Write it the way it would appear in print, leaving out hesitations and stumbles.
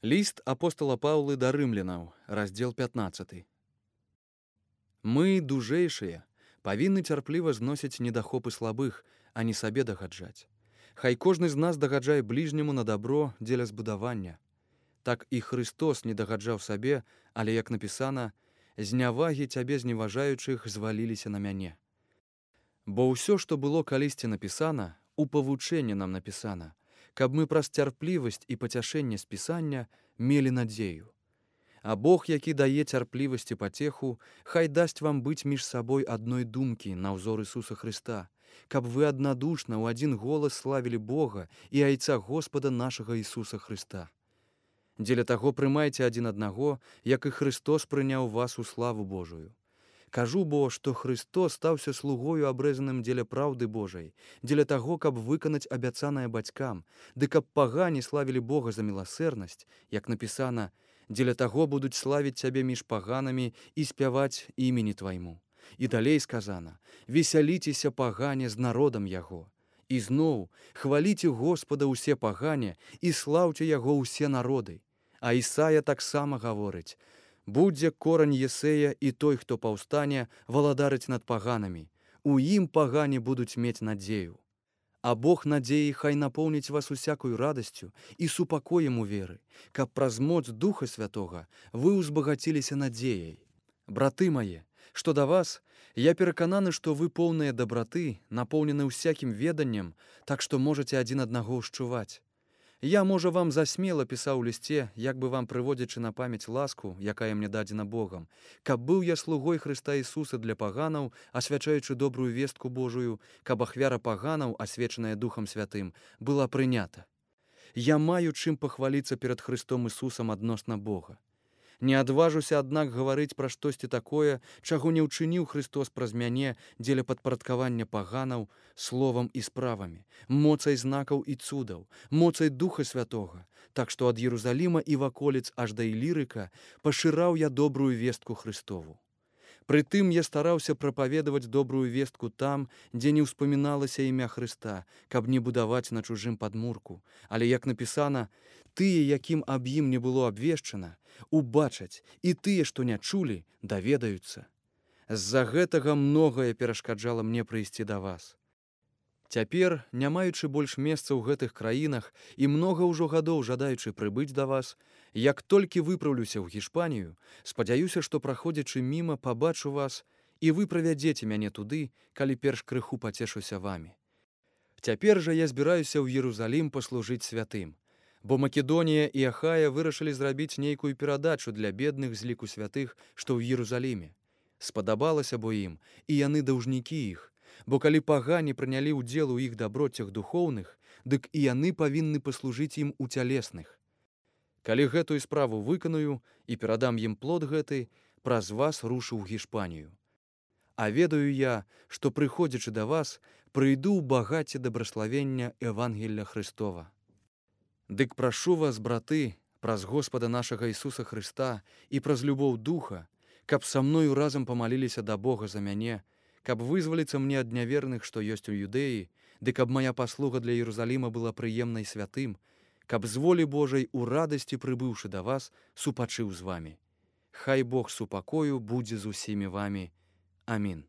Ліст апостала Паўлы да рымлянаў, раздзел 15. Мы, дужэйшыя, павінны цярпліва зносіць недахопы слабых, а не сабе дагаджаць. Хай кожны з нас дагаджае бліжняму на дабро дзеля збудавання. Так і Христос не дагаджаў сабе, але, як напісана, «Знявагі цябе зневажаючых зваліліся на мяне». Бо ўсё, што было калісьці напісана, у павучэнні нам напісана, каб мы праз цярплівасць і пацяшэнне з Пісання мелі надзею. А Бог, які дае цярплівасць і пацеху, хай дасць вам быць між сабой адной думкі на ўзор Ісуса Хрыста, каб вы аднадушна ў адзін голас славілі Бога і Айца Господа нашага Ісуса Хрыста. Дзеля таго прымайце адзін аднаго, як і Христос прыняў вас у славу Божую. Кажу бо, што Христос стаўся слугою абрэзаным дзеля праўды Божай, дзеля таго, каб выканаць абяцанае бацькам, ды каб пагане славілі Бога за міласэрнасць, як напісана, дзеля таго будуць славіць цябе між паганамі і спяваць імені твайму. І далей сказана, весяліцеся пагане з народам яго. І зноў, хваліце Господа ўсе пагане і слаўце яго ўсе народы. А Ісая таксама гаворыць, будзе корань Єсея і той, хто паўстане, валадарыць над паганамі. У ім пагане будуць мець надзею. А Бог надзеі хай напоўніць вас усякую радасцю і супакоем у веры, каб праз моц Духа Святога вы ўзбагаціліся надзеяй. Браты мае, што да вас, я перакананы, што вы поўныя дабраты, напоўнены ўсякім веданнем, так што можаце адзін аднаго ўшчуваць. Я, можа, вам засмела пісаў у лісце, як бы вам прыводзячы на памяць ласку, якая мне дадзена Богам, каб быў я слугой Хрыста Ісуса для паганаў, асвячаючы добрую вестку Божую, каб ахвяра паганаў, асвечаная Духам Святым, была прынята. Я маю чым пахваліцца перад Христом Ісусам адносна Бога. Не адважуся, аднак, гаварыць пра штосьці такое, чаго не ўчыніў Христос праз мяне дзеля падпарадкавання паганаў словам і справамі, моцай знакаў і цудаў, моцай Духа Святога, так што ад Єрусаліма і ваколіц аж да Ілірыка пашыраў я добрую вестку Христову. Прытым я стараўся прапаведаваць добрую вестку там, дзе не ўспаміналася імя Хрыста, каб не будаваць на чужым падмурку. Але, як напісана, тыя, якім аб ім не было абвешчана, убачаць, і тыя, што не чулі, даведаюцца. З-за гэтага многае перашкаджала мне прыйсці да вас. Цяпер, не маючы больш месца ў гэтых краінах і многа ўжо гадоў жадаючы прыбыць да вас, як толькі выпраўлюся ў Гішпанію, спадзяюся, што праходзячы міма пабачу вас і вы правядзеце мяне туды, калі перш крыху пацешуся вамі. Цяпер жа я збіраюся ў Єрусалім паслужыць святым, бо Македонія і Ахая вырашылі зрабіць нейкую перадачу для бедных з ліку святых, што ў Єрусаліме. Спадабалася бо ім, і яны даўжнікі іх, бо калі пагане прынялі ўдзел у іх даброцях духоўных, дык і яны павінны паслужыць ім у цялесных. Калі гэтую справу выканую і перадам ім плод гэты, праз вас рушу ў Гішпанію. А ведаю я, што, прыходзячы да вас, прыйду ў багацце дабраславення Евангелля Христова. Дык прашу вас, браты, праз Господа нашага Ісуса Хрыста і праз любоў Духа, каб са мною разам памаліліся да Бога за мяне, каб вызваліцца мне ад няверных, што ёсць у Юдэі, ды каб мая паслуга для Єрусаліма была прыемнай святым, каб з волі Божай у радасці прыбыўшы да вас, супачыў з вамі. Хай Бог супакою будзе з усімі вамі. Амін.